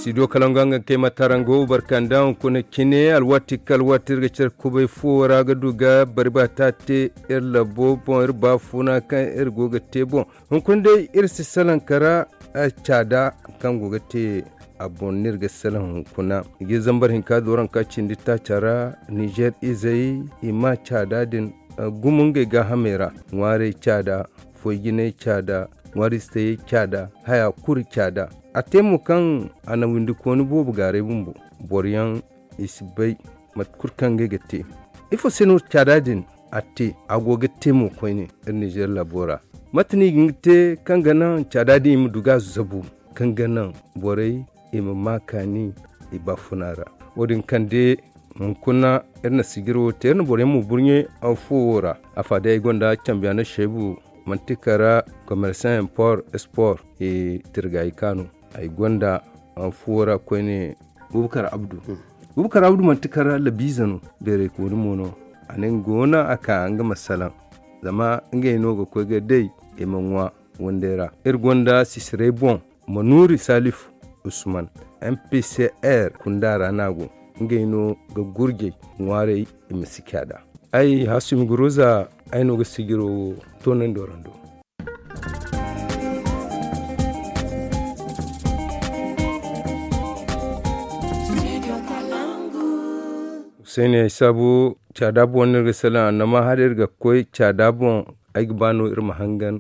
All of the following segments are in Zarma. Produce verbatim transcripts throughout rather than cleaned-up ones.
Studio Kalangu, nga kay ma tarango barkanda hunkuna cine, alwaati kala waati iri ga care kubay fuwo ra ga du ga bari ba ta te iri labo boŋ, iri baafuna kaŋ iri go ga te boŋ. Hunkuna day iri si salaŋ kara caada kaŋ go ga te a boŋ no iri ga salaŋ hunkuna. I ga zambar hinka dooranka cindi taaca ra. Nizer izey i ma caada din gumo ngey gaahamey ra. Ŋwaarey caada, foy jinay caada, ŋwaari si tayey caada, haya kulu caada. A te mo kaŋ a na windikooni boobo gaaray bumbo. Boro yaŋ i si bay mate kulu kaŋ ngey ga te. Ifo se no caada din a te? A go ga te mo koyne iri nizer labo ra. Mate no i ga hin ga te kaŋ ga naŋ caada din i ma du ga a zabu, kaŋ ga naŋ borey i ma ma kaani i baafuna ra? Wo- din kande hunkuna iri na sijiro te iri na boro yaŋ mo burɲe fuwo ra. Afa day ay gonda cambiyaana seebu manti kara komersan impor espor i tirgaayi kaanu. Ay gonda fuwo ra koyne bubakar abdu. Bubakar abdu manti kara labiize no beeraykooni mo no. A ne nga go no a ka nga ma salaŋ zama ngey no ga koy ga day i ma ŋwa wandey ra. Iri gonda sisiray boŋ manuuri salif usman, mpcr kunda ra no a go. Ngey no ga gurjey ŋwaarey i ma si caada. Ay hasumi guruza ay no ga sijiro wo toonandi warando. Huseeni ay saabu caada boŋ no iri ga salaŋ annama hala iri ga koy caada boŋ. Ay ga ba no iri ma hangan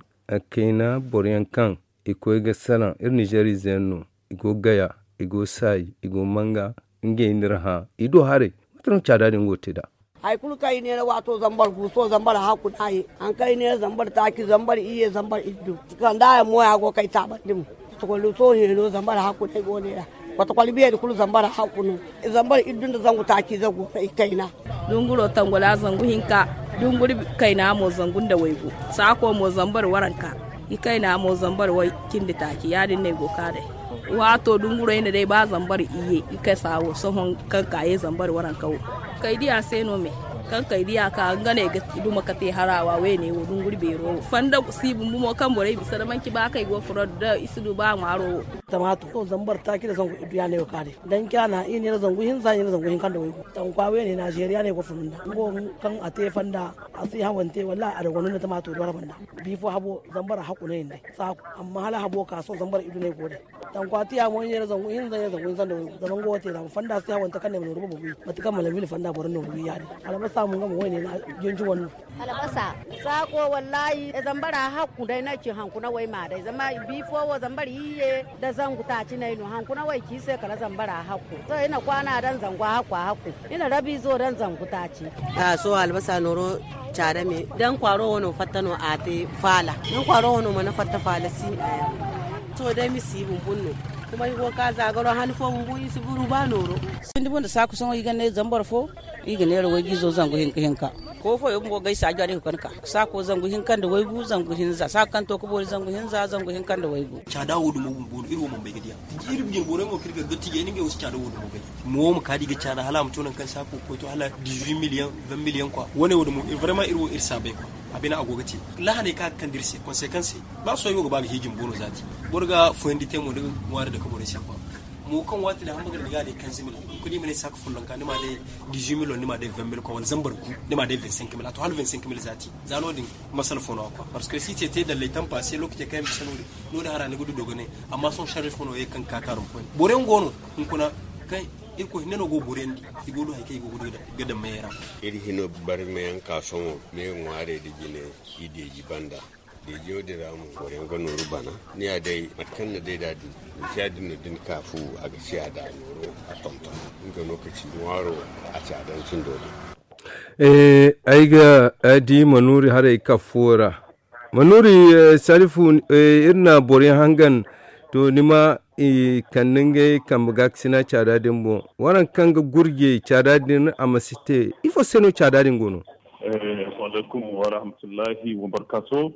kayna boro yaŋ kaŋ i koy ga salaŋ iri nizer ize yaŋ no. I go gaya, i go saayi, i go manga. Ngey no iri hã i do haray. Mate no caada din go ga te nd'a? Hari kulu kaŋ i neera waato zambar gu sohõ zambar hakku no a ye. Hari kaŋ i neera zambar taaci zambar iyye zambar iddu, kanda yaŋ mo ya go ga kay taabandi mo. Kotokoli sohõ heeno zambar hakku no ay go neera. Kotokoli beeri kulu zambar hakku no. Zambar iddu nda zangu taaci ize go no i kayna. Dunguro tangola zangu hinka, dunguri kayna mo zangu nda waygu, saako mo zambar waranka. I kayna mo zambar way cindi taaci ya- din no ay go ga ka day. Waato dungurey na day ba zambar iyye i kasa wo sohõ kaŋ ka ye zambar waranka wo. Kay diya se no me kaŋ kay diya ka nga no ay ga duma ka te harawa wayne wo dunguri beero wo fanda si bumbu mo kaŋ borey bisa da manci ba kaŋ ay go ga furo nda i si du ba ŋwaaro wo. Tamaato zambar taaci nda zangu iddu ya no ay go ga ka day. Danca na i neera zangu hinza i neera zangu hinka nda waygu tankwa wayne nazeeriya no ay go ga furo nda nga wo kaŋ a te fanda. A si hawante wallahi a dogondu nda tamaato doora banda. Biifo habo zambar hakku no ay ne day. Saako amma hala habo ka sohõ zambar iddu no ay go day. Tankwa tiya mo i neera zangu hinza i neera zangu hinza nda waygu zama nga wo te ra ma fanda si hawante kaŋ ne ma nooru boobo wi mate kaŋ ma lamil fanda boro nooru wi ya- din. Albasa mo nga mo wayne na janji wane no. Albasa, saako wallahi zambara hakku day no ay ci hankuna way ma day zama biifo wo zambar iyye nda zangu taaci no ay no hankuna way ci se kala zambara hakku. Sohõ i na kwaana daŋ zangu hakku hakku. I na rabiizo daŋ zangu taaci. Sohõ albasa nooro caada me daŋ kwaaro wano fatta no a te faala. Daŋ kwaaro wano mana fatta faala si. Sohõ day misi bumbun no. Kuma i go ga ka zaagaro han fo bumbu i si buru ba nooro. Sindi bunda saaku sohõ i ga ne zambar fo. I ga neera wayjiizo zangu hinka hinka. Ko fooyaŋ bumbo ga ay saajo a day ga kande ka saako zangu hinka nda waygu zangu hinza saako kaŋ to ga boori zangu hinza zangu hinka nda waygu. Caada wo dumo bumbo no iri wo mana bay ga diya. Iri bine borey mo kaŋ iri ga dottijey ni ngey wo si caada wo dumo bay. Mo wo ma ka da i ga caada hala a ma to nangu kaŋ saako ga koy to hala dix-huit million vingt million kwa wane wo dumo vraiment iri wo iri si a bay kwa. A bine a go ga te lahaney kaŋ a ga kande iri se konsekanse. Ba sohõ ay wo ga ba ga hiiji bumbo no zaati. Boro ga foyandi te mo da ŋwaari dake borey se kwa. Mo kaŋ waati din hamba ga daŋ ni ga a day kanze mil. Kulu i ma ne saaka follonka ni ma a day dix-huit mil wala ni ma a day vingt mil kwa wala zambar gu ni ma a day vingt-cinq mil a to hala vingt-cinq mil zaati. Za no- din masala fo no a kwa parce que si te te dallay tampa se lokaci kaŋ ay ma se no- din. No- din hara ni ga du dogonay. Amma sohõ sharri fo no ye kaŋ ga ka kaarum koyne boro yaŋ go no hunkuna kaŋ irkoy hinne no go ga boro yaŋ di. I go ga du hari kaŋ i go ga du ga daŋ mayey ra. Iri hino barmayaŋ ka sohõ me ŋwaarey nda jine. I deeji banda. Deejiyo din ra mo boro yaŋ ga nooru bana. Ni ya day mate kaŋ na day da din. Misiya din no da ni ka fu a ga siya da nooro a tonton. Nga no ka ci ŋwaaro a caadancindo din. Ay ga di manuuri haray kafo ra. Manuuri salifu iri na boro yaŋ hangan. To ni ma i kande ngey kambe gaakasina caada din boŋ. Waraŋ kaŋ ga gurjey caada din a ma si te ifo se no caada din go no? Alaykum warahmatullahi wabarkato.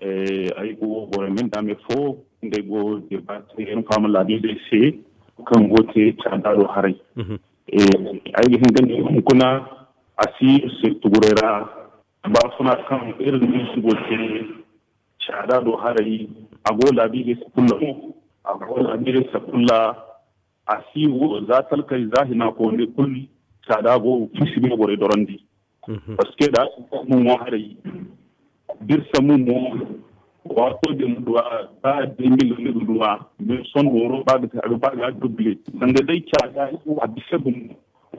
Ay go boro min dame fo ngey go debate iri fama laabiizey se kaŋ go te caada do haray. Ay ga hin ga ne hunkuna a si iri se tuguray ra. Baafuna kaŋ iri na iri sugo te caada do haray. A go laabiizey sakulla mo a go laabiizey sakulla. A si wo za talkari za hina koone kulu caada go fisi ga borey dorandi. Parce que da a si ga mo ŋwaaray da iri sambu mo waato din duwa ba da mil ni ga duwa mais sondo woro ba ga te a ga ba ga duble. Sanda day caada iri wo a bisa gumo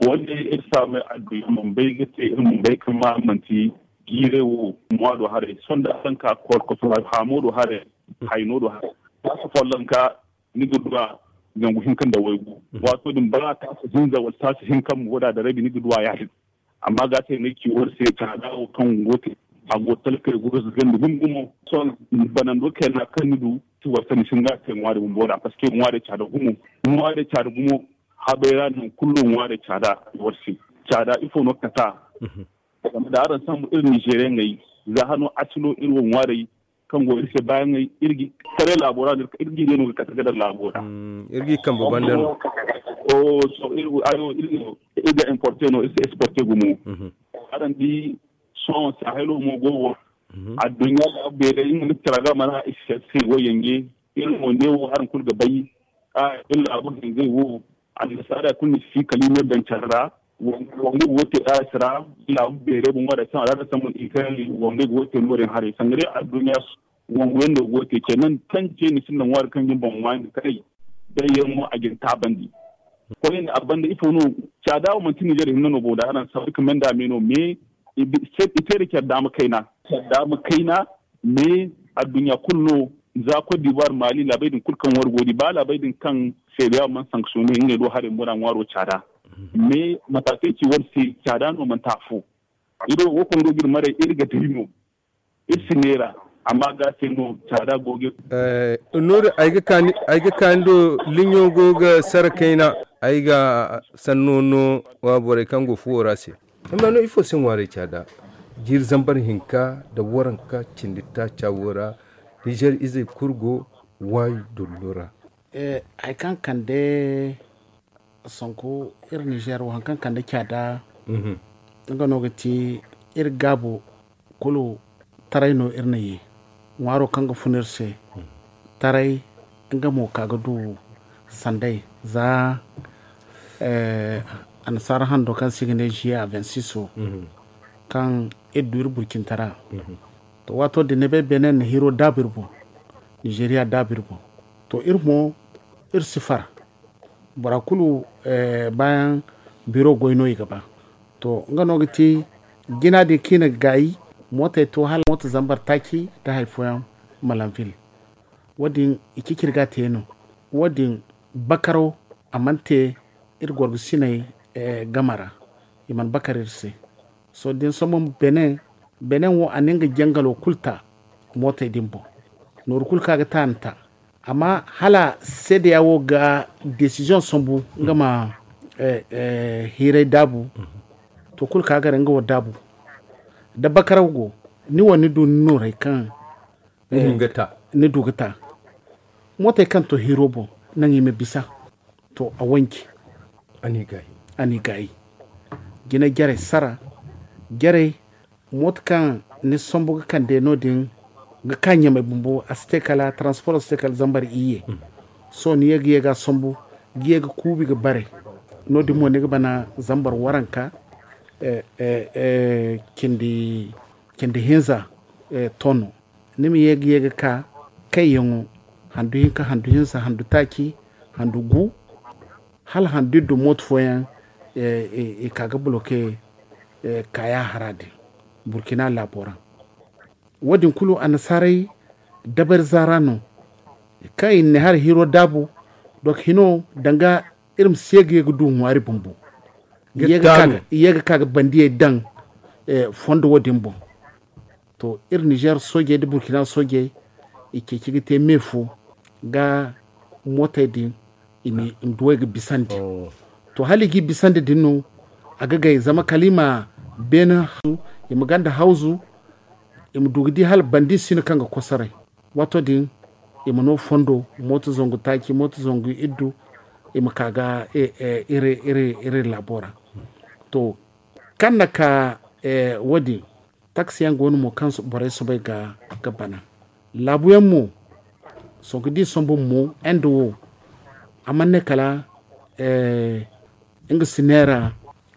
wanda iri saamay adduya man bay ga te iri man bay kaŋ ma manti jiiray wo ŋwa do haray sondo araŋ ka korkoso haamo do haray hayno do haray ba si folloŋ ka ni ga duwa zangu hinka nda waygu. Waato din ba taasi hinza wala taasi hinka mo wada da rabi ni ga duwa ya-din. Amma ga se ni ci war se caada wo kaŋ go te a go talkey go ga zagandi gumo gumo. Sohõ banando kayna kaŋ ni du ti war se ni si nga te ŋwaari bumbo ra parce que ŋwaari caada gumo. Ŋwaari caada gumo habay ra nangu kulu no ŋwaari caada war se. Caada ifo no kata? Zama da araŋ sambu iri nizeeriyaŋey za hano asilo iri wo ŋwaarey kaŋ go iri se baayaŋey iri ga taray laabo ra no iri ga i day no ga kate ga daŋ laabo ra. Iri ga i kambe banda no. Sohõ iri ga importe no iri si exporte gumo. Araŋ di sohõ sahelo mo go wo adduɲɲa laabu beerey nga no tira ga mana i se wo yanje. Iri mo ne wo araŋ kulu ga bay iri laabu hinzey wo annasaara kulu ni si kala i ne daŋ care ra. Wongu go te aras ra laabu beerey boŋ wadda kaŋ a ra da sambu i kaŋ wongu go te no- din haray sanda day adduɲɲa wongu yaŋ no go te ce naŋ tance ni sinda ŋwaari kaŋ ga ni boŋ ŋwaari karay. Day yaŋ mo a ga ni taabandi. Koyne a banda ifo no? Caada wo manti nizeer hinne no bo da araŋ sabu ka menda me no mais i te da care daama kayna care daama kayna. Mais adduɲɲa kulu no za kot dibuwar maali laabey din kulu kaŋ war go di ba laabey din kaŋ seedeya mana sanksiyone ngey do haray bora ŋwaaro caada. Mais mataakey ci war se caada no manti afo. Iri wo wo kaŋ go ga iri maray iri ga day no iri si neera. Amma ga se no caada go ga. Nooru ay ga kaani do liɲo go ga sara kayna ay ga sanno no wa borey kaŋ go fuwo ra se. Amma no ifo se ŋwaaray caada jiiri zambar hinka nda waranka cindi taaca wo ra nizeer izey kulu go waayi dollo ra. Hari kaŋ kande sanku iri nizeer wo hari kaŋ kande caada nga no ga ti iri gaabu kulu taray no iri na ye ŋwaaro kaŋ ga fun iri se taray nga mo ka ga du sanday za annasaara hando kaŋ se i ga ne ziya vingt six wo kaŋ iri du iri burcintara. To waato din ni bay benin na hiro daabu iri boŋ nizeeriya daabu iri boŋ. To iri mo iri si far bora kulu baayaŋ biro goy no i ga ba. To nga no ga ti jina din kaŋ i na ga gaayi mootey to hala mooto zambar taaci nda hari fooyaŋ malanvil. Wo- din i ciciri ga a te no wo- din bakaraw a mana te iri gorgosiney game ra. I mana bakar iri se. Sohõ da ni sombu benin benin wo a na nga jangalo kulu ta mootey din boŋ. Nooru kulu kaŋ a ga ta a na ta. Amma hala seedeya wo ga desiziyoŋ sambu nga ma hiiray daabu to kulu kaŋ a ga ra nga wo daabu. Da bakaraw go ni wo ni du ni nooray kaŋ ni du ga ta mootey kaŋ to hiiro boŋ naŋ i ma bisa. To a wanci a n'i gaayi jina jarey sara jarey mooto kaŋ ni sombu ga kande no- din ga ka ɲamey bumbo a si te kala transporo si te kala zambar iyye. Sohõ ni ye ga ye ga a sombu ga ye ga kuubi ga bare no- din mo ni ga bana zambar waranka cindi hinza tono. Ni ma ye ga ye ga ka kayyaŋo handu hinka handu hinza handu taaci handu gu hala handu iddu mooto fooyaŋ i ka ga boloke kaaya hara din burkina laabo ra. Wo- din kulu annasaarey dabari zaara no kaŋ i na ne hala hiro daabu. Donk hino danga iri ma si ye ga ye ga du ŋwaari bumbo i ye ga ka ga bandiyey daŋ fondo wo- din boŋ. To iri nizeer soojey nda burkina soojey i ceeci ga te me fo ga mootey din i ma duwey ga bisandi. To hala i g'i bisandi din no a ga gay zama kala i ma beene hawzu i ma ganda hawzu i ma du ga di hala bandi si no kaŋ ga kosoray. Waato din i ma no fondo mooto zangu taaci mooto zangu iddu i ma ka ga iri laabo ra. To kaŋ na ka wo- din taksi yaŋ go no mo kaŋ borey soobay ga bana laabu yaŋ mo. Sohõ ga di sombu mo inde wo a mana ne kala nga si neera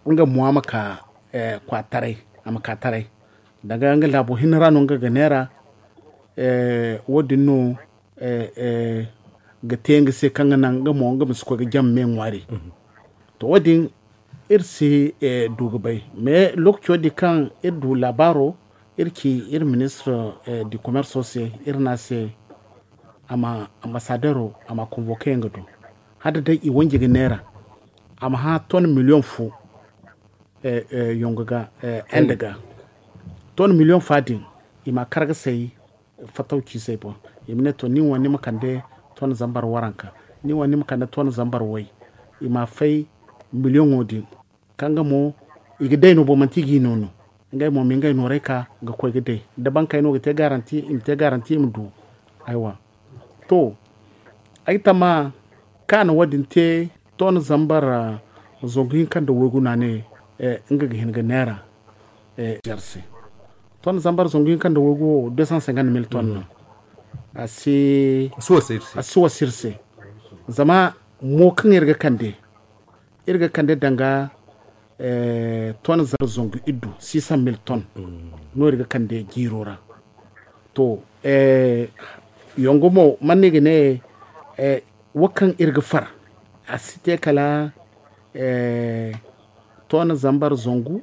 nga mo a ma ka kwa taray, a ma ka taray. Danga nga laabo hinne ra no nga ga neera. Wo- din no ga te nga se kaŋ ga naŋ nga mo nga ma si koy ga jama me ŋwaari. To wo- din iri si du ga bay mais lookaco din kaŋ iri du laabaaro, iri ci iri ministre du commerce se, iri ne a se a ma ambassadeur a ma convoquer nga du. Hala day i wanji ga neera a ma hã ton million fo yongo ga, ende ga ton million fa din i ma kar ga say. Fataw ci say boŋ i ma ne to nin wo ni ma kande ton zambar waranka, nin wo ni ma kande ton zambar way. I ma fay million wo din kaŋ ga mo i ga day no boŋ manti i ga i no no. Ngey mo ma ngey nooray ka ga koy ga day da bankey no ga te garanti i ma te garanti i ma du. Aywa to ay tama kaŋ a na wo- din te ton zambar zangu hinka nda waygu no a ne nga ga hin ga neera. Ton zambar zangu hinka nda waygu wo deux cent cinquante mille ton no. A si wasa iri se zama mo kaŋ iri ga kande iri ga kande danga ton zambar zangu iddu six cent mille ton no iri ga kande jiiro ra. To yongo mo man no i ga ne wo kaŋ iri ga far a si te kala ton zambar zangu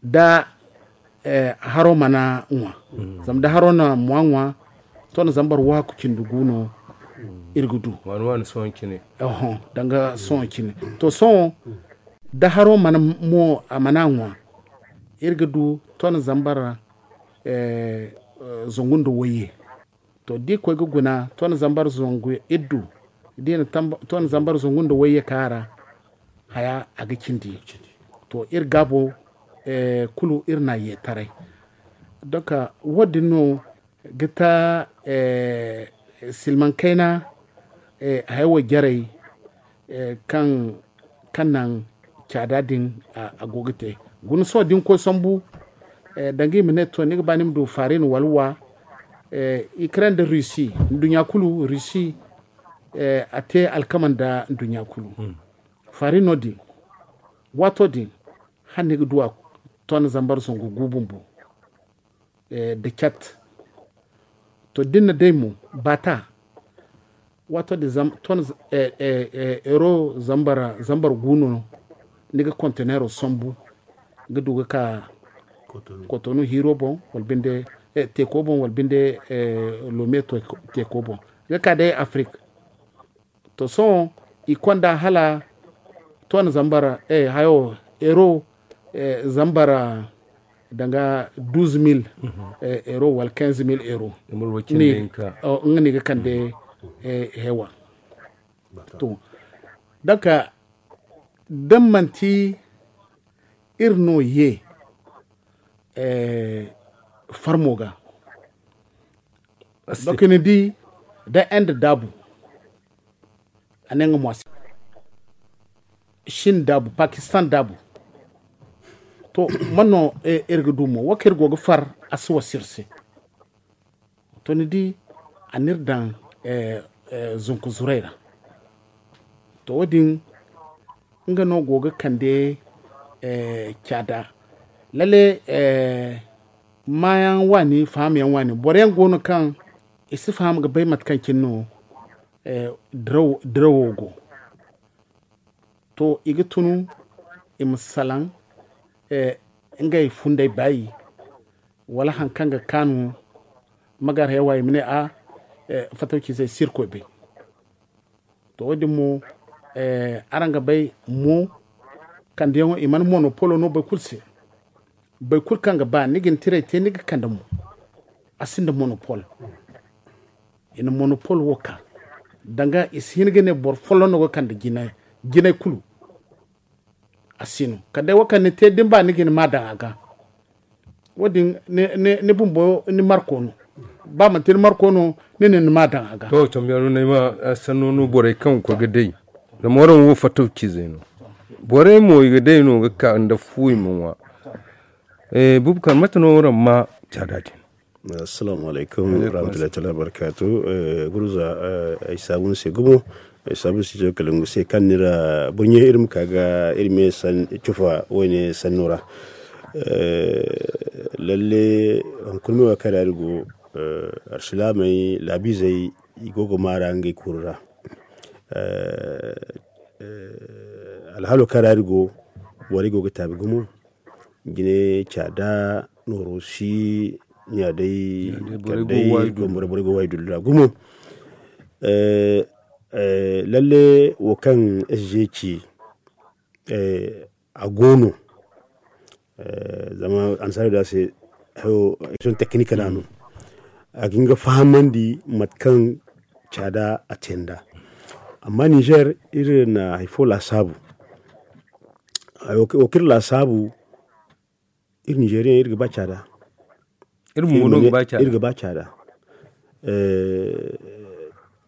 da haro mana ŋwa. Zama da haro na mo a ŋwa ton zambar waaku cindi gu no iri ga du. Danga sohõ cine to sohõ da haro mana mo a mana ŋwa iri ga du ton zambar zangu nda wayye. To da i koy ga guna ton zambar zangu iddu da i na ton zambar zangu nda wayye ka ra haya a ga cindi. To iri gaabo kulu iri na ye taray. Donk wo- din no ga ta silmaŋ kayna haya wo jarey kaŋ kaŋ naŋ caada din a go ga te. Guna sohõ da ni koy sambu danga i ma ne to ni ga ba ni ma du farin wala wa. Ukraine nda russie nduɲɲa kulu russie a te alkama nda nduɲɲa kulu. Farin no din waato din hala ni ga du a ton zambar zangu gu bumbo. Da cat to da ni na day mo baata waato din ton euro zambar gu no ni ga konteneero sambu ga du ga ka kotonu hiiro boŋ wala binde teeko boŋ wala binde lome teeko boŋ ga ka day afrik. To sohõ i konda hala ton zambar hayo euro zambar danga douze mille euro wala quinze mille euro nga ni ga kande hewa. To donk da manti iri no ye farmo ga donk ni di da inde daabu a ne nga mo a si shin daabu pakistan daabu. To man no iri ga du mo wo kaŋ iri go ga far a si wasa iri se. To ni di a n'iri daŋ zunku zuray ra. To wo- din nga no go ga kande caada lalle maayaŋ waani fahamyaŋ waani boro yaŋ go no kaŋ i si faham ga bay mate kaŋ cine no dirawo go. To i ga tunu i ma salaŋ ngey funday baayi wala hari kaŋ ga kaanu magar hewa i ma ne a fatawcizey si iri koy bay. To wo- din mo araŋ ga bay mo kandiyaŋo i mana monopolo no boro kulu se. Boro kulu kaŋ ga ba ni ga ni tiray te ni ga kande mo a sinda monopol. I na monopol wo ka danga i si hin ga ne boro folloŋ no ga kande jinay kulu. A si no kala day wo kaŋ ni te da ni ba ni ga ni ma daŋ a ga. Wo- din ni bumbo ni marko no ba manti ni marko no ni ne ni ma daŋ a ga. To cambiyaŋ no ay ma sanno no borey kaŋ ga koy ga day. Zama waraŋ wo fattaw ciizey no. Borey mo i ga day no ga ka nda fu i ma ŋwa. Bubakar mate no waraŋ ma caada din? Assalamu alaikum warahmatullahi taala wabarakatu. Gurza ay saabu ni se gumo. Sabu si jo kala ngu se kaŋ ni ra burɲe iri ma ka ga iri me san cufa wayne sanno ra. Lalle hunkuna me wa kaŋ ra iri go, arsilaamey laabizey i go ga maara ngey kuru ra. Alhalo kaŋ ra iri go, borey go ga taabi gumo. Jine caada nooro si ɲa day kala day borey go waayi dullu ra gumo. Lalle wo kaŋ sg ci a go no. Zama annasaara da se hayo action technique ra no a ga hin ga fahamandi mate kaŋ caada a te nd'a. Amma niger iri na hari fo laasaabu. Wo kaŋ iri laasaabu, iri nigerian iri ga ba caada. Iri ga ba caada.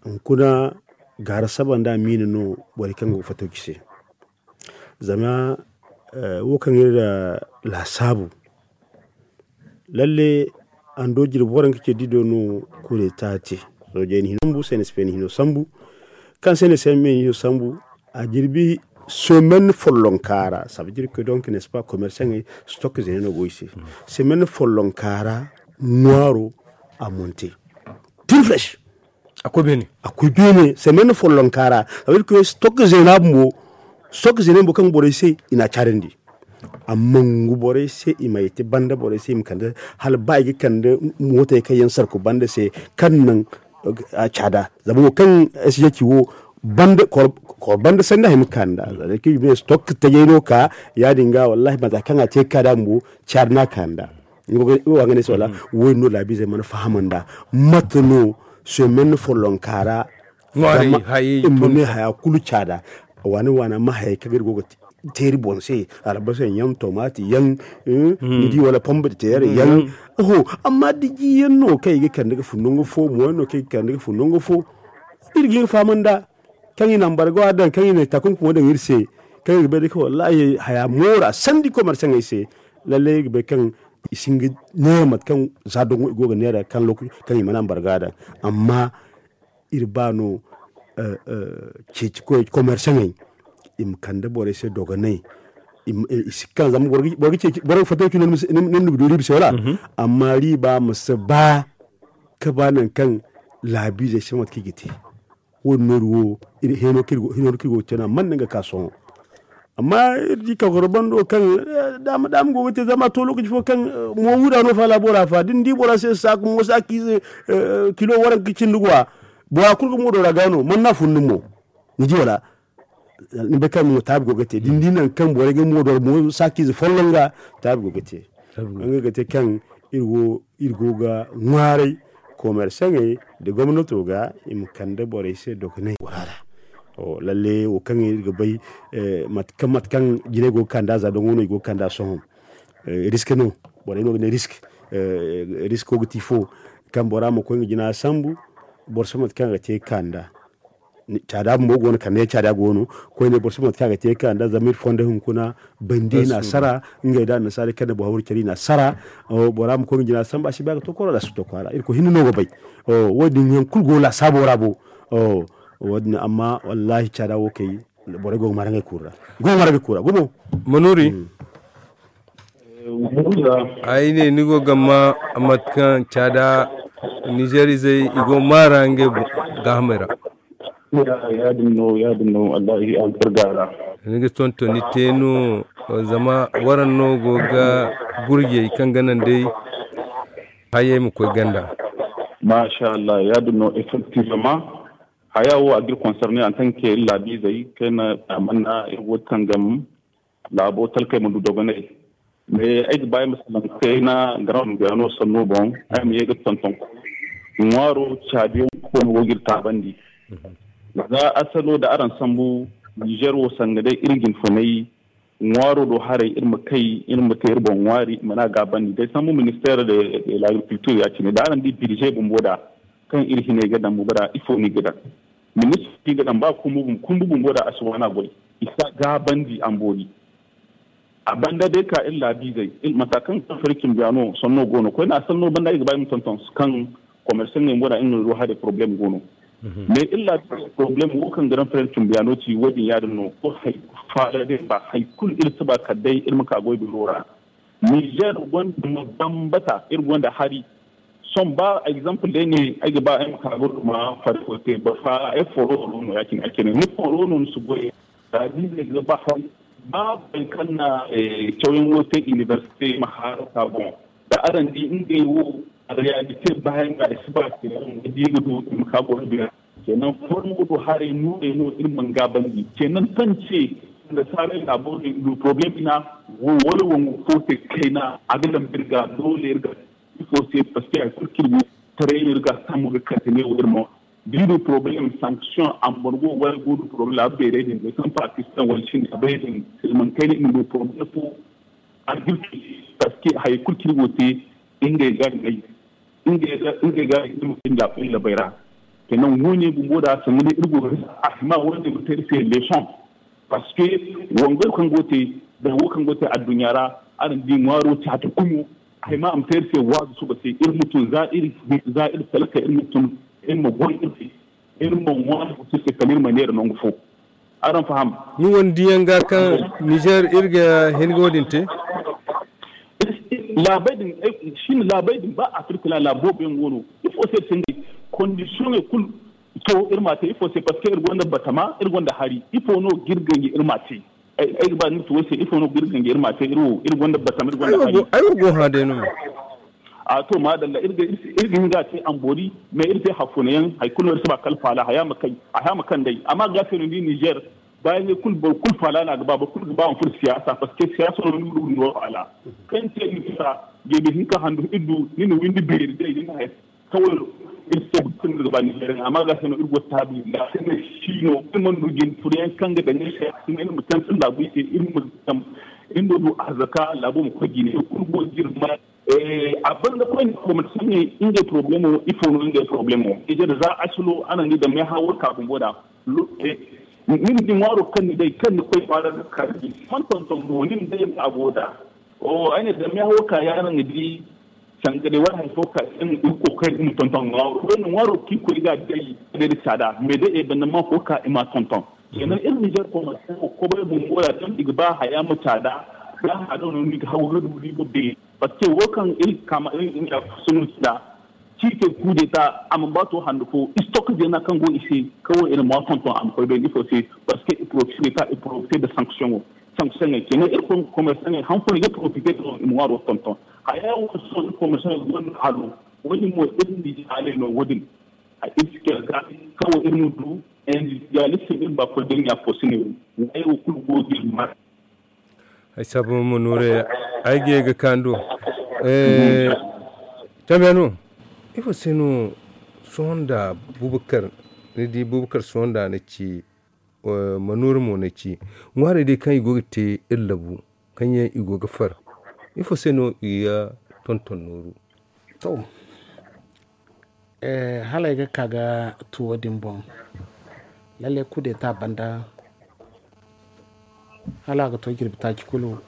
Hunkuna gaara saba nda miina no borey kaŋ go ga fattauci se. Zama wo kaŋ iri laasaabu, lalle ando jirbi waranka ce dido no kudeta te. Soojey na hino sambu, sene sipey na hino sambu. Kaŋ sene sipey na hino sambu, a jirbi semaine follonka ra, ça veut dire que donc n'est-ce pas commerçant ŋey stock zene no go i se. Semaine follonka ra ŋwaaro a monte. Tin fresh. A koy beene. A koy beene semaine follonka ra, ça veut dire que stock zena bumbo, stock zena bumbo kaŋ borey se i na a caarandi. Amma ngu borey se i ma ye te banda borey se i ma kande, hala ba i ga kande mootey kaŋ yaŋ sarku banda se kaŋ naŋ a caada. Zama wo kaŋ sg ci wo banda kor banda sanda hay ma kanda zama ki ne stock tajay no ka yaadin ga wallahi mata kaŋ a te ka da mo caada na kanda. Wo ga ne se wala wo no labi zai mana fahama nda mata no semaine follon kara. Imma ne haya kulu caada. Waani waani amma hayey kaŋ iri go ga teeri boŋ se, albasa yaŋ, tomati yaŋ, ni di wala pomme de terre yaŋ. Oho, amma da ji yaŋ no kaŋ i ga kande ga fun nangu fo, mo yaŋ no kaŋ i ga kande ga fun nangu fo. Iri ga hin ga faham nda kaŋ i na ambargo a daŋ, kaŋ i na takunkumo daŋ iri se, kaŋ iri ga bay day kaŋ wallahi haya moora sandi commerçantey se. Lalle iri ga bay kaŋ i si hin ga neera mate kaŋ za dongo i go ga neera kaŋ lokaci kaŋ i mana ambargo a daŋ. Amma iri ba no ceeci koy commerçantey i ma kande borey se dogonay. I si kaŋ zama boro ga ceeci boro ga fatta cino ni ma du riiba se wala. Amma riiba ma si ba ka ba nangu kaŋ laabiizey si mate kaŋ i ga te. Wo- din nooru wo hino kaŋ iri go ga te no a mana naŋ ga ka sohõ. Amma iri di kakoro bando kaŋ daama daama go ga te zama a to lokaci fo kaŋ mo wuda no fa laabo ra fa da ni di bora se saaku mo saakiize kilo waranka cindi go a bora kulu ga moodo ra ga no man na fun ni mo. Ni di wala ni bay kaŋ mo taabi go ga te da ni di nangu kaŋ borey ga moodo ra mo saakiize folloŋ ga taabi go ga te. Nga ga te kaŋ iri go iri go ga ŋwaaray komersaŋey nda gomnato ga i ma kande borey se dogonay gora ra. Lalle wo kaŋ iri ga bay mate kaŋ jinay go ga kande a za doŋo no i go ga kande a sohõ. Risk no borey no ga ne risk. Risko ga ti fo kaŋ bora ma koy nga jina sambu boro si mate kaŋ a ga te ga kande a. Caada bumbo go no kande yaŋ caada go no koyne boro si mate kaŋ a ga te ga kande a zama iri fonda hunkuna bandi na sara ngey da annasaara kaŋ na boro hawru care i na sara. Bora ma koy nga jina sambu a si ba ga tokoro da a si tokora iri koy hinne no ga bay. Wo- din yaŋ kulu go laasaabo ra bo. Wo- din amma wallahi caada wo kay borey go ga mara ngey kuru ra go ga mara ngey kuru ra gumo. Manuri. Ay ne ni go ga ma mate kaŋ caada nizeer izey i go maara ngey gaahamey ra. Yaadin no yaadin no wallahi albarga ra. Ni ga tontoni te no zama waraŋ no go ga gurjey kaŋ ga naŋ day hayey ma koy ganda. Masha Allah yaadin no effectivement. Haya wo a ga iri concerné en tant que iri laabiizey kayna amanna iri go tangam laabo talkey ma du dogonay. Mais ay ga ba ay ma salaŋ kayna garan guyano sanno boŋ ay ma ye ga tonton ŋwaaro caabiyaŋ koono go ga iri taabandi. Za asalo da araŋ sambu niger wo sanga day iri jinfonay ŋwaaro do haray iri ma kay iri ma te iri boŋ ŋwaari i mana gaabandi day sambu ministère de l'agriculture ya cine da araŋ di budget bumbo da kaŋ iri hinay ga daŋ bumbo da ifo no i ga daŋ. Ministro no i ga daŋ ba kumbu bumbo da a si waana goy i si a gaabandi a ma boori. A banda day ka iri laabiizey mata kaŋ ga fari cimbiya no sanno go no koyne a sanno banda i ga ba i ma tonton kaŋ commerçant ŋey bumbo da iri no do haray problème go no. Mais illa problem wo kaŋ grand frère cumbiyaano ci wo- din yaadin no. Ko hay faala day ba hay kulu iri si ba kala day iri ma ka goy biro ra. Niger gonda ma bambata iri gonda hari. Sohõ ba exemple day ne ay ga ba ay ma ka ga duma fari fo te ba fa ay foro no ya- cine ay cine ni foro no ni si goy. Za da ni ne ga ba hari ba boro kaŋ na cawyaŋ wo te université ma haara ka boŋ. Da araŋ di ngey wo, réalité bayaŋ ga i si ba te yaŋ ga di ga du i ma ka boro bira. Kenan formo do haray no iri mana gaabandi kenan kaŋ ce, nda saaray laabo din du problem ina wo wala wangu fo te kayna a ga dambe iri ga doole iri ga ifo se parce que hay kulu kaŋ iri go taray no iri ga sambu ga kate ne wo iri ma di du problem sanction ambargo wala go du problem a beerey din zey kaŋ pakistan wala cine a bay din silman kayna iri ma du problem fo. Agriculture parce que hay kulu kaŋ iri go te ngey ga ngey ngey ga iri ma kay laabo iri labay ra. Kenan wo- ne bumbo da sanda day iri go ga bisa a hima wo- ne ga te iri se leçon. Parce que wangay kaŋ go te da wo kaŋ go te adduɲɲa ra araŋ di ŋwaaro caati kumo. A hima a ma te iri se waazu suba se iri ma tun za iri talka iri ma tun iri ma goy iri se iri ma ŋwaari ga tun se kala iri ma neera nangu fo. Araŋ faham? Ni wane diyaŋ ga kaŋ nizer iri ga hin ga wo- din te? Laabey din, shin laabey din ba afirka ra laabo boobo yaŋ go no. Ifo se iri se ngey kondisiyoŋey kulu to iri ma a te ifo se parce que iri gonda batama iri gonda hari ifo no ga iri ganji iri ma a te? Ay ga ba ni ma ci wo se ifo no ga iri ganji iri ma a te iri wo iri gonda batama iri gonda hari. Ay wo go hã day no. A to maadalla iri ga hin ga a te amboori mais iri te hafuna yaŋ hari kulu no iri si ba kala faala haya ma kaŋ day amma ga se no ni di nizer. Baayaŋey kulu boro kulu faala no a ga ba boro kulu ga ba hunkuna siyaasa parce que siyaasa no ni ga du ga ni wo faala kaŋ te ni bisa geebi hinka handu iri du ni na windi beeri day ni na hay kawai iri se boro kulu no ga ba nizer yaŋ amma ga se no iri go taabi ga se no si no iri mana du jine furo yaŋ kaŋ ga daŋ iri se iri ma tantan laabu iri se iri ma zama iri ma du arzaka laabo ma koy jine iri kulu go ga iri ma. A banda koyne commerçant ne ngey problemo ifo no ngey problemo ije da za asilo a na ni da meeha wo ka bumbo da. Ni ma di ŋwaaro kaŋ ni day kaŋ ni koy kwaara ga kar di man tonton mo ni ma day a go da. Ay ne da meeha wo ka yaŋ araŋ ga di sanga day wala hari fo ka iri koy iri ma tonton ŋwaaro koyne ŋwaaro kaŋ iri koy ga day ga day da caada mais day ay banda man fo ka i ma tonton. Kenan iri nizer commerçant wo kobay bumbo da kaŋ i ga ba haya ma caada. Za hado no ni ga hagu ga du riiba beeri. Parce que wo kaŋ iri kama iri nga sunu sida ci te kudeta a ma ba to handu fo stock zena kaŋ go i se kawo iri ma tonton a ma koy bayni ifo se. Parce que i profite de ta i profite de sanction wo sanction ŋey kenan iri commerçant ŋey han fo i ga profite de no i ma ŋwaaro tonton. Haya wo sohõ iri commerçant ŋey gonda halo wo- din mo iri nda i haaley no wo- din. A iri si kera ga kawo iri ma du industrialiste iri ba koy daŋ ya fo sine wo. Wo kulu go ga iri mara. Ay saabu ma nuure ay ga ye ga kaanu do. Cambiyaano ifo se no sohõ nda bubakar ni di bubakar sohõ nda na ci? Manuure mo na ci ŋwaarey day kaŋ i go ga te iri labu kaŋ yaŋ i go ga far ifo se no i ga tonton nooru? To hala ay ga ka ga tuwo din boŋ lalle kudeta banda hala a ga to jirbi taaci kulu.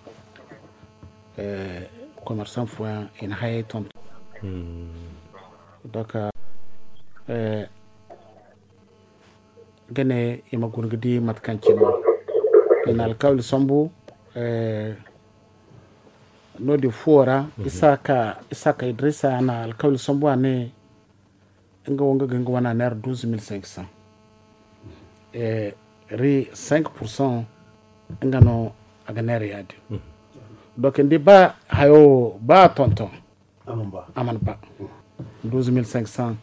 Commerçant fooyaŋ i na hayey tonton. Donc ga ne i ma guna ga di mate kaŋ cine no i na alkawli sambu. No- din fuwo ra isaka idrisa na alkawli sambu a ne nga wo nga ga nga wana neera douze mille cinq cents ri cinq pour cent nga no a ga neera ya- din. Donc ni di ba hayo ba a tonton a mana ba douze mille cinq cents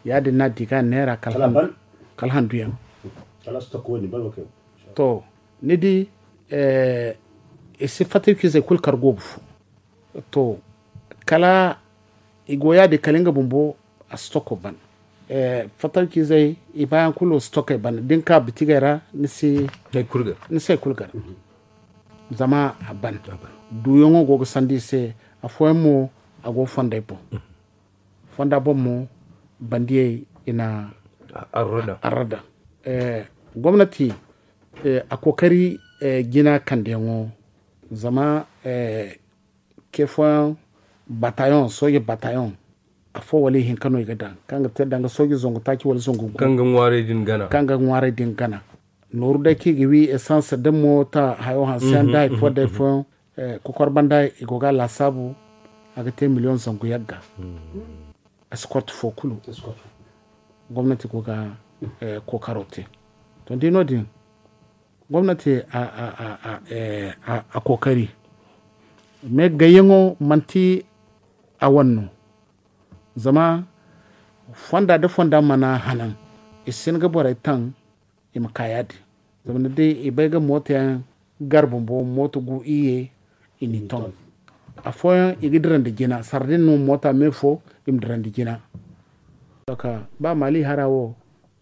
ya- din no a di ga neera kala handu yaŋ. To ni di i si fatta i ka izey kulu kar goobu fo. To kala i go ya- din kala nga bumbo a si toko ban. Fatta i ka izey i baayaŋ kulu si tokey ban da ni ka bitigey ra ni si hay kulu gar zama a ban. Duuyaŋo go ga sanda i se afooyaŋ mo a go fondey boŋ. Fonda boŋ mo bandiyey i na arro daŋ. Gomnati a kookari jina kandeyaŋo zama ke fooyaŋ batayoŋ sooje batayoŋ Afo wala ihinka no i ga daŋ kaŋ ga te danga sooji zangu taaci wala zangu gu kaŋ ga ŋwaaray din gana. Nooru day kaŋ i ga wi esans da moota hayo hanse yaŋ da hari fo day fooyaŋ. Kokor banda i go ga a laasaabu a ga te miliyoŋ zangu yagga. Escort fo kulu gomnati go ga kookaro te. To ni di no- din gomnati a kookari mais gayyaŋo manti a wane no. Zama fonda nda fonda mana hanan i si hin ga borey taŋ i ma ka ya- din. Zama ni di i bay ga mooto yaŋ gar bumbo mooto gu iyye i n'i ton. Afooyaŋ i ga dirandi jina sara din no moota me fo i ma dirandi jina. Ba maali hara wo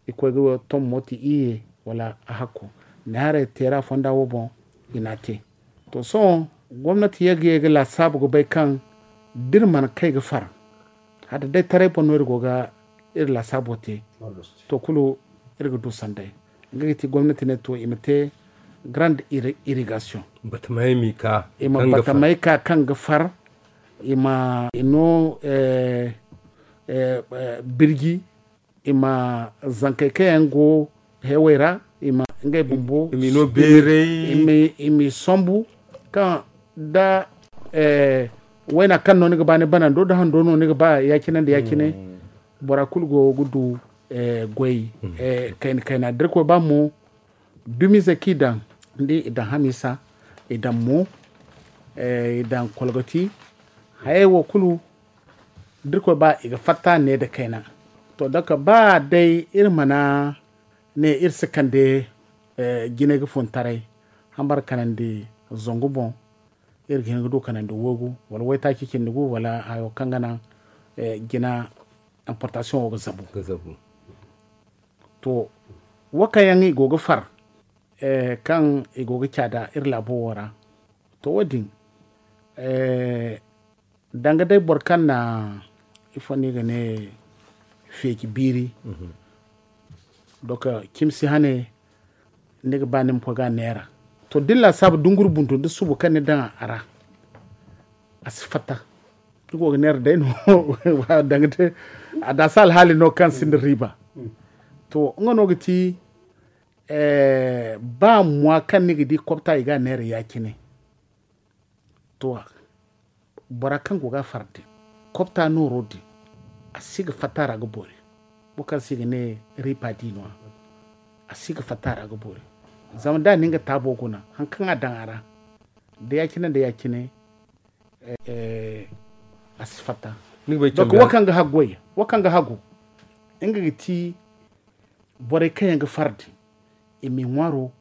i koy ga ton mooto iyye wala a hakko ne haray teera fonda wo boŋ i n'a te. To sohõ gomnati ye ga ye ga laasaabu ga bay kaŋ da iri mana kay ga far hala da day taray boŋ no iri go ga iri laasaabo te. To kulu iri ga du sanday nga ga ti gomnati ne to i ma te grande irrigation. Batamey m'i ka i ma batamey ka kaŋ ga far i ma i no birji i ma zankey kaŋ yaŋ go heewey ra i ma ngey bumbo i m'i sombu kaŋ da wayna kaŋ no ni ga ba ni banando da hando no ni ga ba ya-cine nda ya-cine. Bora kulu go ga du goy kayna kayna da irkoy ba mo dumize kaŋ i daŋ ni di i daŋ hamiisa i daŋ mo i daŋ kolgoti hayey wo kulu da irkoy ba i ga fatta ne nda kayna. To donk ba day iri mana ne iri si kande jinay ga fun taray hambar kanandi zangu boŋ iri ga hin ga du kanandi woogu wala waytaaci cindi gu wala hayo kaŋ ga naŋ jina importation wo ga zabu. To wo kaŋ yaŋ i go ga far kaŋ i go ga caada iri laabo wo ra. To wo- din danga day boro kaŋ na ifo no i ga ne feeci biiri. Donk cimi si hane ni ga ba ni ma koy ga a neera. To da ni laasaabu dunguru buntu nda subu kaŋ ni daŋ a ra a si fatta. Ni go ga neera day no danga te a daasa alhaali no kaŋ sinda riiba. To nga no ga ti ba mwa kaŋ ni ga di kobta i ga a neera ya-cine. To bora kaŋ go ga a far din kobta nooro din a si ga fatta ra ga boori. Boro kaŋ se i ga ne riipa di no- ya a si ga fatta ra ga boori. Zama da a na nga taabo guna hari kaŋ a daŋ a ra da ya-cine nda ya-cine a si fatta. Donk wo kaŋ ga hagu nga ga ti borey kaŋ yaŋ ga far din i m'i ŋwaaro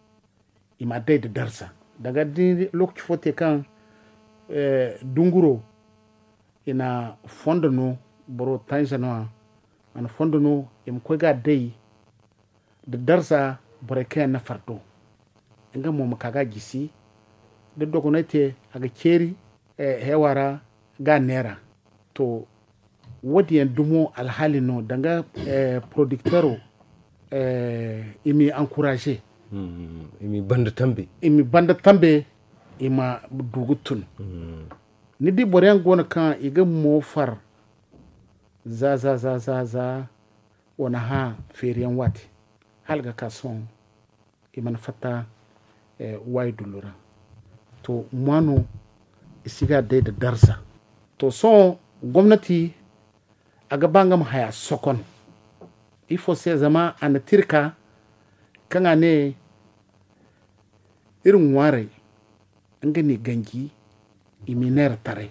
i m'a day nda darza. Danga da ni di lookaci fo te kaŋ dunguro i na fondo no boro tanza no- ya a na fondo no i ma koy ga a day nda darza. Borey kaŋ yaŋ na far do nga mo ma ka ga a jisi da dogonay te a ga ceeri heewa ra ga a neera. To wo- din yaŋ dumo alhaali no danga porodikteero i m'i ankuraaze i m'i banda tambe i ma du ga tun. Ni di boro yaŋ go no kaŋ i ga mo far za za za za za wane hã feeri yaŋ waati hala ga ka sohõ i mana fatta waayi dullu ra. To ŋwa no i si ga day nda darza. To sohõ gomnati a ga ba nga ma haya sokon ifo se zama a na tirka kaŋ a ne iri ŋwaarey nga n'i ganji i m'i neera taray.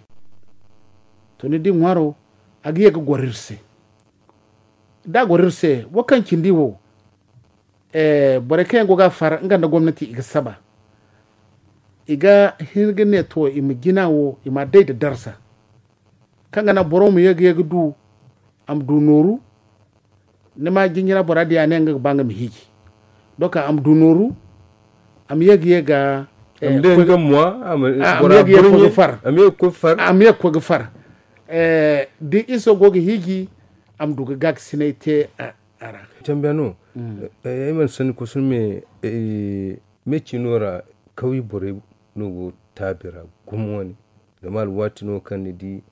To ni di ŋwaaro a ga ye ga goro iri se da a goro iri se wo kaŋ cindi wo borey kaŋ yaŋ go ga a far nga nda gomnati i ga saba i ga hin ga ne to i ma jina wo i m'a day nda darza kaŋ ga naŋ boro ma ye ga ye ga du a ma du nooru. Ni ma jinjina bora diya ne nga ga ba nga ma hiiji donk a ma du nooru a ma ye ga ye ga far a ma ye ga koy ga far da iso go ga hiiji a ma du ga gaakasinay te a ra. Tambiya no ay mana sanni kusum me me cino ra kawye borey no go taabi ra gumo wane zama alwaati no kaŋ ni di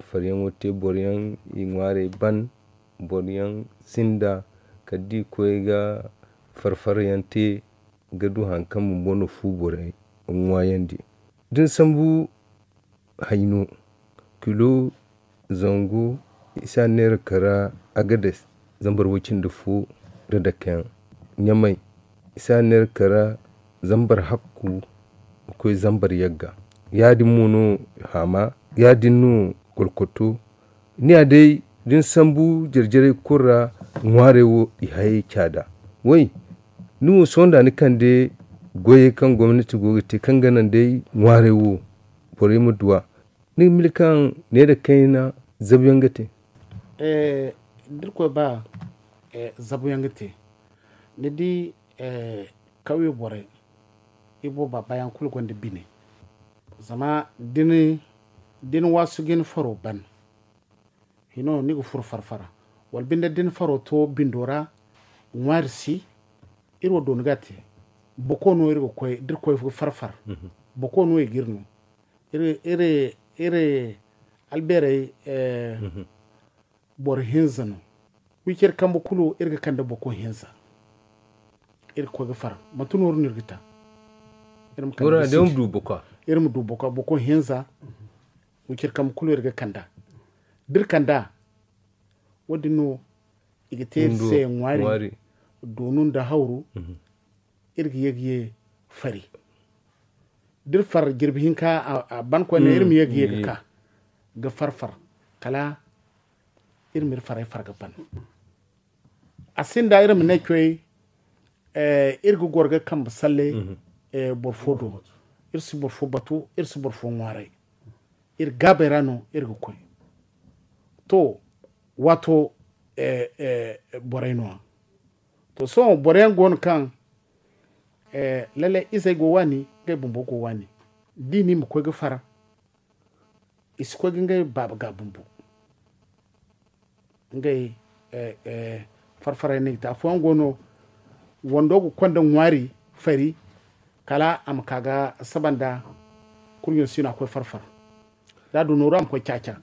faryaŋo te boro yaŋ i ŋwaarey ban, boro yaŋ sinda kala da i koy ga farfar yaŋ te ga du hari kaŋ bumbo no fu borey ŋwaayandi. Da ni sambu hayno kilo zangu i si a neera kara agades zambar way cindi fo da dake yaŋ ɲamay i si a neera kara zambar hakku ga koy zambar yagga. Ya- din mo no haama ya- din no kolkoto. Ni ya day da ni sambu jare-jarey kulu ra ŋwaarey wo i hayey caada. Way ni wo sohõ da ni kande goyey kaŋ gomnati go ga te kaŋ ga naŋ day ŋwaarey wo borey ma du a. Ni ga mila kaŋ ne nda kayna zabu yaŋ ga te? Da irkoy ba zabu yaŋ ga te. Ni di kawye borey i booba baayaŋ kulu gonda bine. Zama da ni waasu ga ni faro ban hino ni ga furo farfara wala binde da ni faro to bindo ra ŋwaari si. Iri wo dooni ga a te boko no iri ga koy da iri koy ga farfar. Boko no i ga iri no iri albeerey boro hinza no. Wi care kambe kulu iri ga kande boko hinza. Iri ga koy ga far manti nooru no iri ga ta. Iri ma du boko hinza. Wi care kambe kulu iri ga kanda da iri kanda wo- din no i ga te iri se ŋwaari doonu nda hawru. Iri ga ye ga ye fari da iri far jirbi hinka a ban koyne iri ma ye ga ye ga ka ga far far kala iri ma iri farey far ga ban. A sinda iri ma ne coy iri ga goro ga kambe salle boro fo do. Iri si boro fo batu iri si boro fo ŋwaaray. Iri gaabey ra no iri ga koy. To waato borey no- ya to sohõ boro yaŋ go no kaŋ lalle izey go waani ngey bumbo go waani. Da i ne i ma koy ga far i si koy ga ngey baaba ga bumbo. Ngey farfaray no i ga te afooyaŋ go no wando ga konda ŋwaari fari kala a ma ka ga saba nda kurɲo si no a koy farfar. Da a du nooru a ma koy caaca.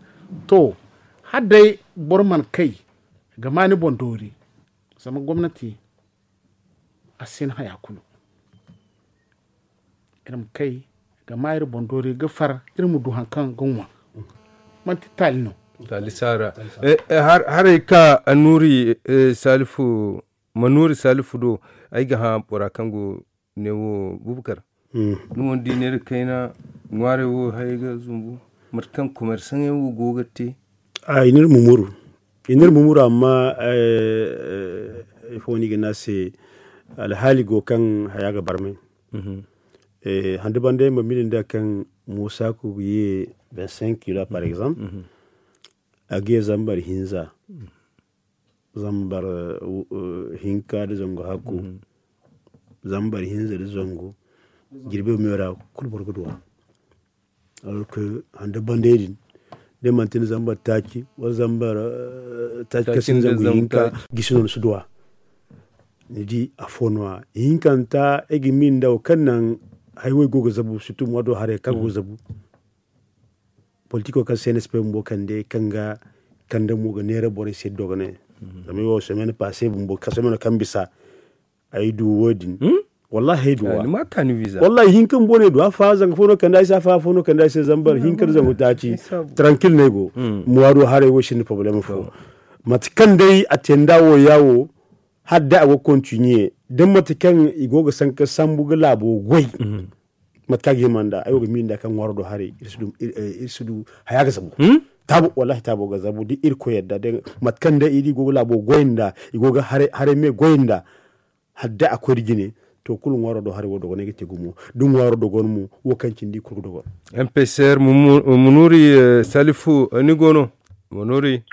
To hala day boro mana kay ga ma ni boŋ doori zama gomnati a si hin haya kulu. Iri ma kay ga ma iri boŋ doori ga far iri ma du hari kaŋ ga ŋwa. Manti taali no. Taali saara. Haray ka annuri salifu manuri salifu do ay ga hã bora kaŋ go ne wo bubakar. Ni mo ni di neera kayna ŋwaarey wo hayey ga zumbu mate kaŋ komersaŋey wo go ga te. A i n'iri mumuru i n'iri mumuru amma ifo ni ga ne a se alhaali go kaŋ haya ga barmay. Hande banda yaŋ ma mili nda kaŋ musa ku ga ye vingt cinq kilo par exemple a ga ye zambar hinza zambar hinka da zangu hakku zambar hinza da zangu jirbi meera kulu boro ga duwa. Hande banday din da manti ni zambar taaci wala zambar taaci kaŋ sinda zangu hinka gisi no ni si duwa. Ni di afo no- ya ihinkanta ay ga miila nda wo kaŋ naŋ haywey go ga zabu sirtu mo do haray kaŋ go ga zabu. Politiko kaŋ se nsp bumbo kande kaŋ ga kande mo ga neera borey se dogonay. Zama ay wo semaine passe bumbo ka semaine kaŋ bisa ay du wo- din. Wallahi ay du wa wallahi hinka bumbo no ay du afa zanga fo no kande ay se afa fo no kande ay se zambar hinka da zangu taaci. Tranquille no ay go. Muwaado haray wo sinda problème fo. Mate kaŋ day a te nda wo ya wo hala day a go ga continuer da mate kaŋ i go ga sanka sambu ga laabo goy. Mate kaŋ a ga hima nda ay wo ga miila nda kaŋ ŋwaaro do haray iri si du haya ga zabu. Taabo wallahi taabo ga zabu da irkoy yadda day mate kaŋ day i di i go ga laabo goy nda i go ga haray me goy nda hala day a koy nda jine. To kulu ŋwaaro do haray wo dogonay ga te gumo da ŋwaaro dogon mo wo kaŋ cindi i kulu ga dogon. Mpsr munuri salifu ni go no munuri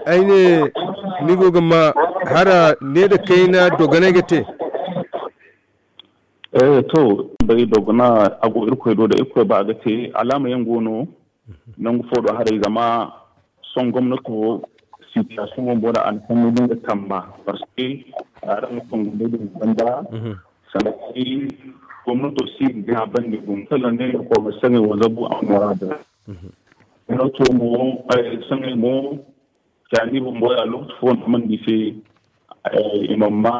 ay ne ni go ga ma hara ne nda kayna dogonay ga te. To bay dogona a go irkoy do da irkoy ba a ga te alaama yaŋ go no. Nangu fo do haray zama sohõ gomnato situation wo bora a na sanni da nga tamba parce que a ra nga fongu da din banda. Sannan gomnato si ga bandi gum sannan ne ko ma sanni wo zabu a mora da. Noto mo, sangay mo, cani bumbo ya lokaci fo no man di se. I ma ma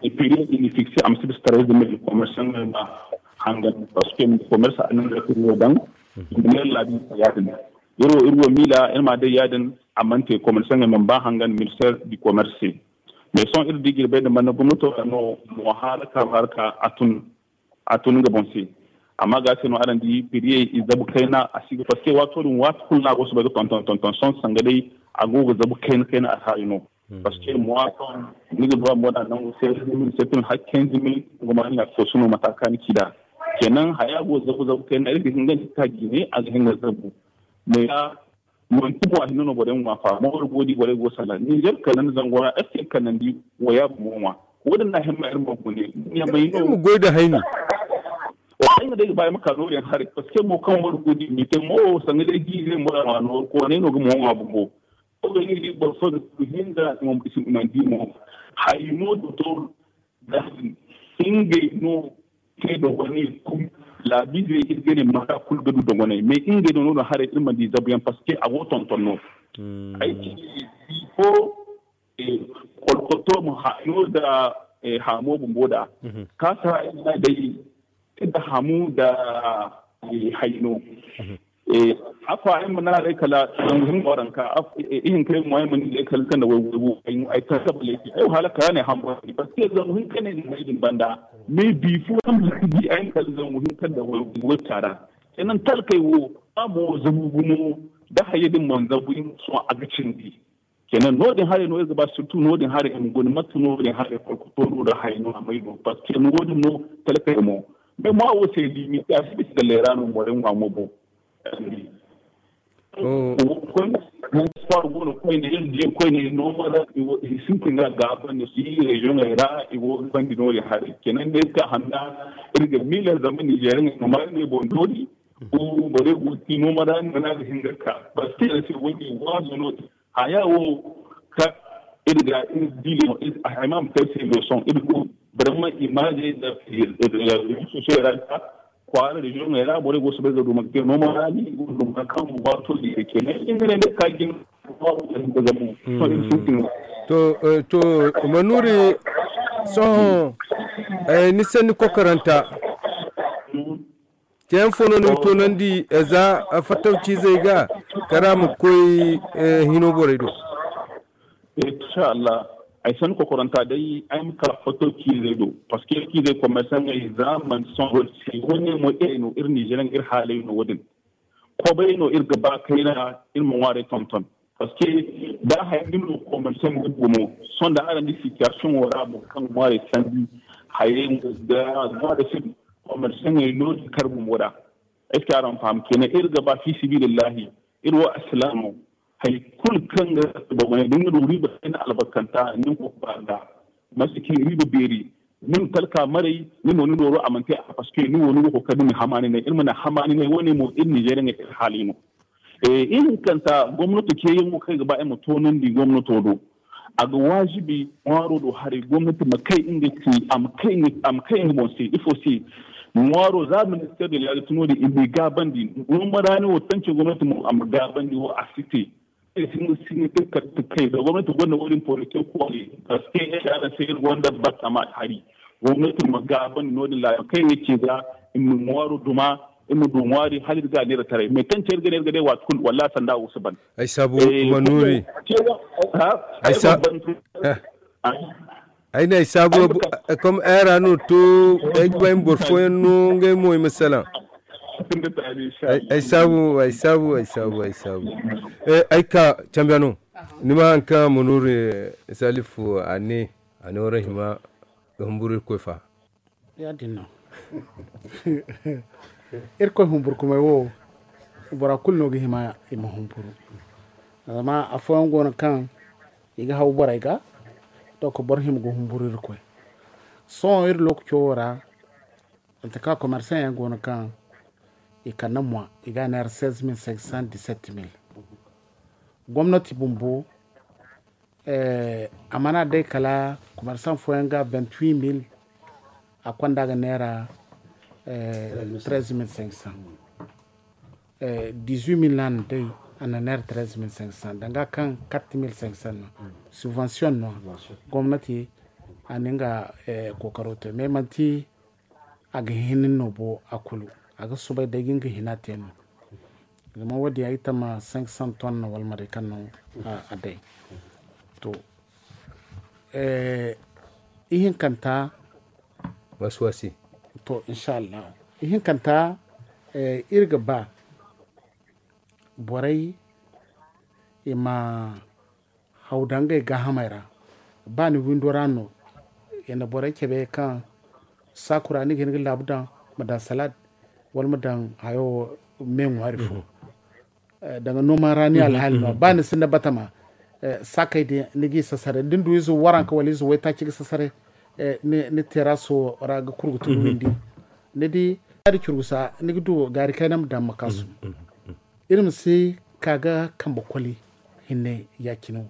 i piri i ni fikse a ma si bisa taray zama i commerçant ma hangan, parce que commerce a nan da kuri wo dan. Miliyar labi ya din iro iro mila ina ma dai ya din. Amante commerçant ma ba hangan ministère du commerce. Mais son iri di girbe da manna gomnato no mo haraka haraka atun a tun nga boŋ se. Amma ga se no araŋ di piriyey i zabu kayna a si ga parce que waato din waati kulu no a go soobay ga tonton tonton sohõ sanga day a go ga zabu kayna kayna alhaali no. Parce que mois sohõ ni ga ba mo da nangu seize mille sept mille har quinze mille nga ma ni a foosu no mata kaŋ ni ci da. Kenan haya go zabu zabu kayna iri ga hin ga ni ka jine a ga hin ga zabu. Mais ya manti mo a hinne no borey ma ŋwa fa mooro go di borey go sala ninzeer kala ni zango ra est ce que kanandi waya bomo ŋwa. Wo- din na himma iri ma gune iri ma goy da hayni. Ay ma day ga ba ay ma ka noori yaŋ haray parce que mo kaŋ wara go di mi te mo sanga day jiize mo ra ma noori koonay no ga mo ŋwa bumbo. Ko ga ni di boro fo ga hinga i ma di mo. Hay no dotor da ngey no te dogonay kulu. Laabiizey iri ga ne mata kulu ga du dogonay mais ngey no no haray iri mana di zabuyaŋ parce que a go tonton no. Ay ci bifo kolkoto ma hayo da hamo bumbo da kaasa iri na day da hamu da hayno. Afa ay ma naarey kala zangu hinka waranka ihinka ay mo ay ma ni ay kala kanda way way ay kala kala ay ay wahala kala ne hambo parce que zangu hinka ne ni ay din banda. Mais bifo kam di ay kala zangu hinka da way way tara. Kenan talkay wo amo zabu gumo da haye din man zabu in so a ga cindi. Kenan no din hare no irga ba surtout no din hare in goni matu no din hare ko to no da hay no amay no parce que no din no talkay mo. Mais ma wo se limite a si bisa ga lera no more mo mo bo. Koyne sport gono koyne iri di koyne no mara sintin ga gaban da su yi region ra i go bandi no ya hari kenan ne ka handa iri ga mila zaman nigeria no mara ne bon dori ko bore go ti no mara ne na ga hinga ka parce que se wani wazo no haya wo ka iri ga iri di no hay mam kai se do son iri go vraiment image da réseaux sociaux ra ka kwara région ŋey ra borey go soobay ga du ma ga te no ma ra ni go du ma kaŋ waato di ga ce ne in ne ne ka jin to to manuri sohõ ni sanni kokoranta ceyaŋ fo no ni ga toonandi za fattaw ciizey ga kara ma koy hino borey do. Inshallah. Ay san kokoranta day ay ma ka foto kiizey do parce que kiizey commerçant ay za man son wodi se wone mo iri no iri nigeria iri haalay no wodin. Kobay no iri ga ba kayna iri ma ŋwaaray tonton parce que da hay din no commerçant ga gumo son da aran di situation wo ra mo kaŋ ŋwaaray sandi hayay ga ŋwaaray sin commerçant ay no di kar gumo da. Est ce que araŋ faham kenan iri ga ba fi sabilillahi iri wo alsilaamo. Hay kulu kaŋ ga ba wane da ni ga du riba kayna albarkanta ni ma koy ga ba ga masi kaŋ riba beeri ni ma talka maray ni no ni nooro a mana te a parce que ni wo ni ga koy ga ni ma hamaani ne iri mana hamaani ne wane mo iri nizeeriya iri haali no. Ihinkanta gomnato ceeyaŋo kaŋ ay ga ba ay ma toonandi gomnato do. A ga waajibi ŋwaaro do haray gomnati ma kay nga ci a ma kay nga boŋ se ifo se. Ŋwaaro za minister de laali tuno din i ma i gaabandi. Gomaraani wo tanci gomnati mo a ma gaabandi wo a si te. Ay si nga si nga te kala ga kay za gomnati gonda wo- din politik koole. Parce que ay se araŋ se iri gonda battama hari gomnati ma gaabandi no- din laali kay nga ci za i ma ŋwaaro duma. I ma du ŋwaari hala iri ga a neera taray mais tanci iri ga ne iri ga day waati kulu wallaahi sanda wo si ban. Ay saabu ma nuuri. Ay saabu ay ne ay saabu. Kom ay ra no to ay ga bay boro fooyaŋ no ngey mo i ma salaŋ. Ay saabu ay saabu ay saabu ay saabu. Ay ka cambiya no ni ma haŋ kaŋ ma nuuri salifu a ne a ne wara hima ga humburu irkoy fa. Ya- din no. Irkoy humburkumay wo bora kulu no ga hima i ma humburu. Zama afooyaŋ go no kaŋ i ga haw borey ga. Donc boro hima ga humburu irkoy. Sohõ iri lookaco wo ra mate kaŋ commerçant yaŋ go no kaŋ i kande mwa i ga a neera seize mille cinq cent dix sept mille. Gomnati bumbo a mana day kala commerçant fooyaŋ ga vingt huit mille. A konda ga neera treize mille cinq cent. Dix huit mille no a na day. a na neera treze mil cinq cent danga kaŋ quatre mil cinq cent no. Subvention no. Gomnati a na nga kookaro te mais manti a ga hin no bo a kulu. A ga soobay day ga nga hina te no. Zama wo- din ay ga tama cinq cent ton no wala maray kaŋ no a day. To ihinkanta. Wasi wasi. To inshallah ihinkanta iri ga ba borey i ma haw daŋ ngey gaahamey ra. Ba ni windo ra no i na borey cabe kaŋ saakura ni ga hin ga laabu daŋ ma daŋ salad wala ma daŋ hayo me ŋwaari fo. Danga nooma ra ni alhaali no ba ni sinda batama saakey din ni g'i sasare da ni du ize waranka wala ize waytaaci ga sasare ni teeraso ra ga kurgu tun windi. Ni di gaari curgusa ni ga du gaari kayna ma daŋ ma kaasu. Iri ma si ka ga kambe koli hinne ya- cine wo.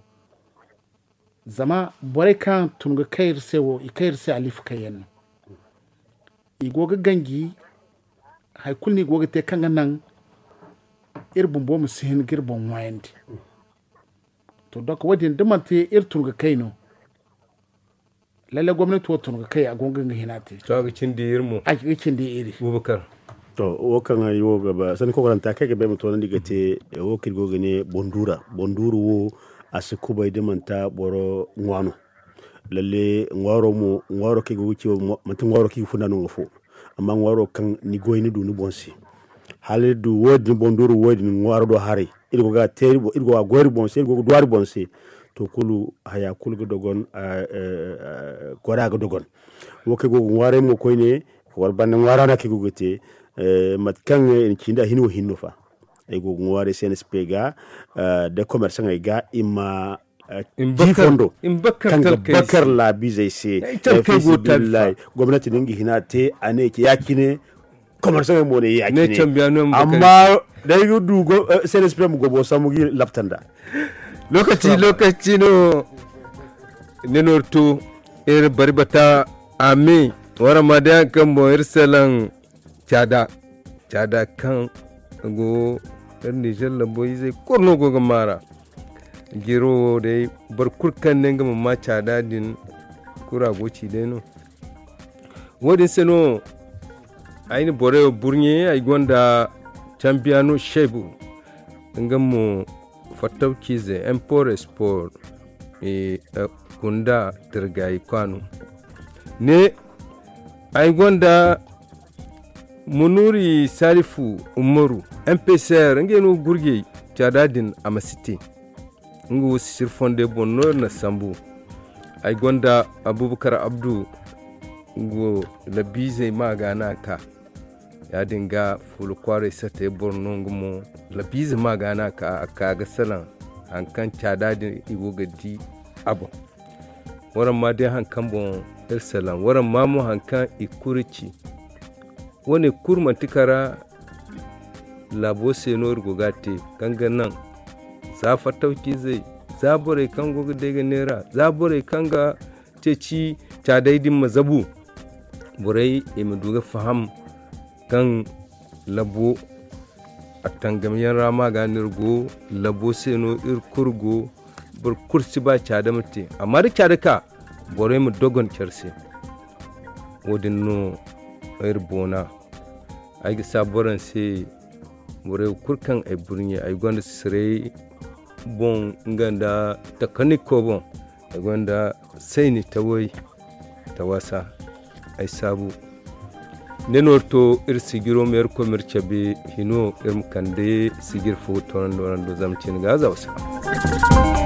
Zama borey kaŋ tun ga kay iri se wo i kay iri se alifa kayyaŋ no. I go ga ganji hari kulu no i go ga te kaŋ ga naŋ iri bumbo ma si hin ga iri boŋ ŋwaayandi. To donk wo- din da manti iri tun ga kay no lalle gomnati wo tun ga kay a go ga nga hina te. To a ga cindi iri mo a ga cindi iri. Bubakar. To wo kaŋ ay wo ga ba sanni kokoranta kaŋ ay ga ba ay ma toonandi ga te wo kaŋ iri go ga ne bonduura bonduura wo a si kubay da manti boro ŋwa no. Lalle ŋwaaro mo ŋwaaro kaŋ ay go ga ci wo manti ŋwaaro kaŋ i ga funda no nga fo. Amma ŋwaaro kaŋ ni goy ni du ni boŋ se hala iri du wo- din bonduura wo- din ŋwaaro do haray iri go ga a goy iri boŋ se iri go ga duw'a iri boŋ se. To kulu haya kulu ga dogon. Koray a ga dogon. Wo kaŋ ay go ga ŋwaaray mo koyne wala banda ŋwaara no kaŋ ay go ga te mate kaŋ i na ci nda a hin wo hinne no fa. Ay go ga ŋwaaray cnsp ga da commerçaŋey ga i ma di fondo kaŋ ga bakar laabiizey se. Gomnati no nga hina te a ne ya-cine. Commerçaŋey mo ne ya-cine. Amma day ga du cnsp ma gobo sambu ga i labta nda. Lokaci lokaci no. Ni no iri to iri bari bata a me waraŋ ma day hari kaŋ boŋ iri salaŋ caada. Caada kaŋ go iri nizer lambo izey kulu no go ga maara. Jiro wo day boro kulu kaŋ ne nga ma ma caada din kulu a go ci day no. Wo- din se no ay na borey wo burɲe ay gonda cambiyano shaybu. Nga mo fattawciize import export gunda tirgayi kwaano. Ne ay gonda munuri salifu umaru mpcr ngey no gurgey caada din a ma si te. Nga wo sisir fondey boŋ no iri na sambu. Ay gonda abubakar abdu. Nga wo labiizey ma ga no a ka ya- din ga fuula kwaaray satey boro no nga mo. Labiize ma ga no a ka a ka ga salaŋ hari kaŋ caada din i go ga di a boŋ. Waraŋ ma day hari kaŋ boŋ iri salaŋ waraŋ ma mo hari kaŋ i kulu ci. Wo- ne kulu manti kara laabo se no iri go ga a te kaŋ ga naŋ za fattawciizey za borey kaŋ go ga day ga neera za borey kaŋ ga ceeci caadey din ma zabu. Borey i ma du ga faham kaŋ labo a tangam yaŋ ra ma ga no iri go. Labo se no iri kulu go. Boro kulu si ba caada ma te amma da caada ka borey ma dogon care se. Wo- din no iri boona. Ay ga saabu araŋ se borey kulu kaŋ ay burɲe ay gonda siray boŋ nga nda takaniko boŋ. Ay gonda sayni taway tawasa ay saabu. Ne no iri to iri sijiro ma iri koy ma iri cabe hino iri ma kande sijir fo ga toonandi waraŋ do zama cin ga za wasa.